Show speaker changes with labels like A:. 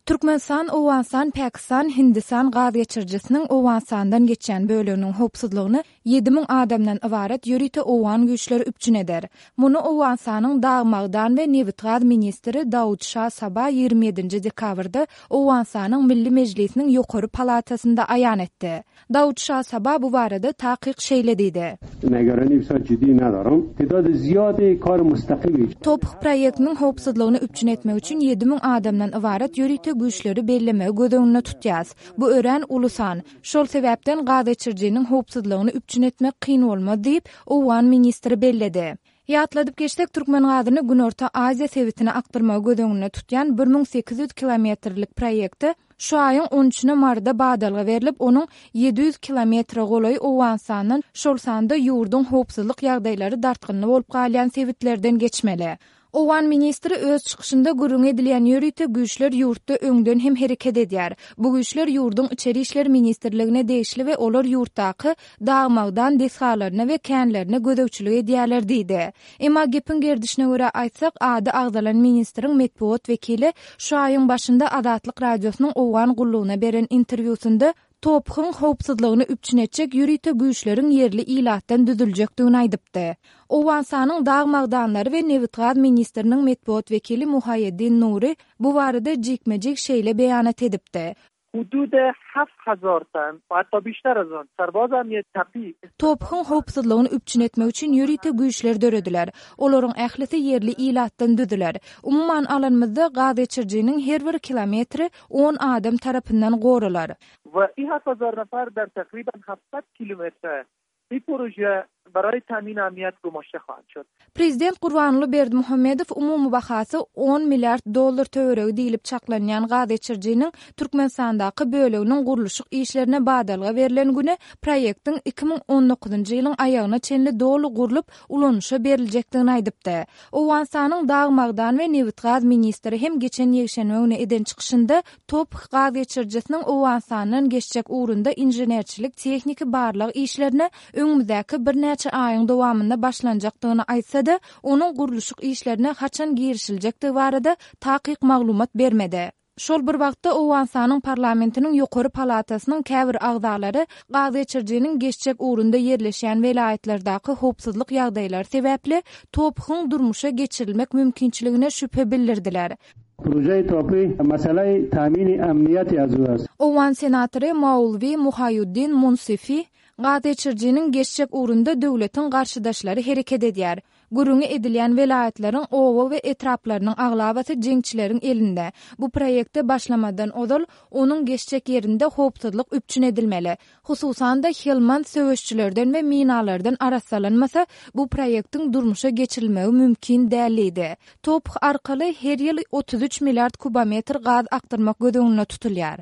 A: Türkmenistan, Owganystan, Pakistan, Hindistan gaz geçirijisiniň Owganystandan geçýän böleginiň howpsuzlygyny 7000 adamdan ybarat ýörite owgan güýçleri üpjün eder. Muny Owganystanyň dag-magdan we nebitgaz ministri Daud Şah Saba 27-nji dekabrda Owganystanyň Milli Mejlisiniň ýokary palatasynda aýan etdi. Daud Şah Saba bu barada takyk şeýle diýdi. TOPH proýektiniň howpsuzlygyny üpjün etmek üçin 7000 adamdan ybarat ýörite güýçleri bellemegi göz öňünde tutýas. Bu örän uly san. Şol sebäpden gazgeçirijiniň howpsuzlygyny üpjün etmek kyn bolmaz diýip, owgan ministri belledi. Ýatladyp geçsek, türkmen gazyny Günorta Aziýa sebitine akdyrmagy göz öňünde tutýan 1800 kilometrlik proýekte şu aýyň on üçüne Maryda badalga berlip, onuň 700 kilometre golaýy Owganystandan, şol sanda ýurduň howpsuzlyk ýagdaýlary dartgynly bolup galýan sebitlerden geçmeli. Owgan ministri öz çykyşynda gürrüňi edilýän ýörite güýçler ýurtda öňden hem hereket edýär. Bu güýçler ýurduň Içeri işler ministrligine degişli we olar ýurtdaky dag-magdan desgalaryna we känlerine gözegçilik edýärler diýdi. Emma gepiň gerdişine görä aýtsak, ady agzalan ministriň metbugat wekili şu aýyň başynda Azatlyk Radiosynyň Owgan gullugyna beren interwýusynda TOPH-yň howpsuzlygyny üpjün etjek ýörite güýçleriň ýerli ilatdan düzüljekdigini aýdypdy. Owganystanyň dag-magdanlary we nebitgaz ministriniň metbugat wekili Muhaýeddin Nury bu barada jikme-jik şeýle beýanat edipdi. TOPH-yň howpsuzlygyny üpjün etmek üçin ýörite güýçler dörediler. Olaryň ählisi ýerli ilatdan düzüler. Umuman alanymyzda, gazgeçirijiniň her bir kilometri on adam tarapyndan goralar. Prezident Gurbanguly Berdimuhamedow umumy bahasy on milliard dollar töweregi diýlip çaklanýan gazgeçirijiniň Türkmenistandaky böleginiň gurluşyk işlerine badalga berlen güni proýektiň 2019-njy ýylyň aýagyna çenli doly gurlup, ulanyşa beriljekdigini aýdypdy. Owganystanyň dag-magdan we nebitgaz ministri hem geçen ýekşenbe güni eden çykyşynda TOPH gaz geçirijisiniň Owganystandan geçjek ugrunda inženerçilik-tehniki barlag işlerine öňümizdäki birnäçe aýyň dowamynda başlanjakdygyny aýtsa-da, onuň gurluşyk işlerine haçan girişiljekdigi barada takyk maglumat bermedi. Şol bir wagtda, Owganystanyň parlamentiniň ýokary palatasynyň käbir agzalary gazgeçirijiniň geçjek ugrunda ýerleşýän welaýatlardaky howpsuzlyk ýagdaýlary sebäpli TOPH-yň durmuşa geçirilmek mümkinçiligine şübhe bildirdiler. Owgan senatory Maulwi Muhaýuddin Munsifi gazgeçirijiniň geçjek ugrunda döwletiň garşydaşlary hereket edýär. Gürrüňi edilýän welaýatlaryň oba we etraplarynyň aglabasy jeňçileriň elinde. Bu proýekte başlamazdan ozal, onuň geçjek ýerinde howpsuzlyk üpjün edilmeli. Hususan-da, Helmand söweşçilerden we minalardan arassalanmasa, bu proýektiň durmuşa geçirilmegi mümkin däl diýdi. TOPH arkaly her ýyl 33 milliard kubometr gaz akdyrmak göz öňünde tutulýar.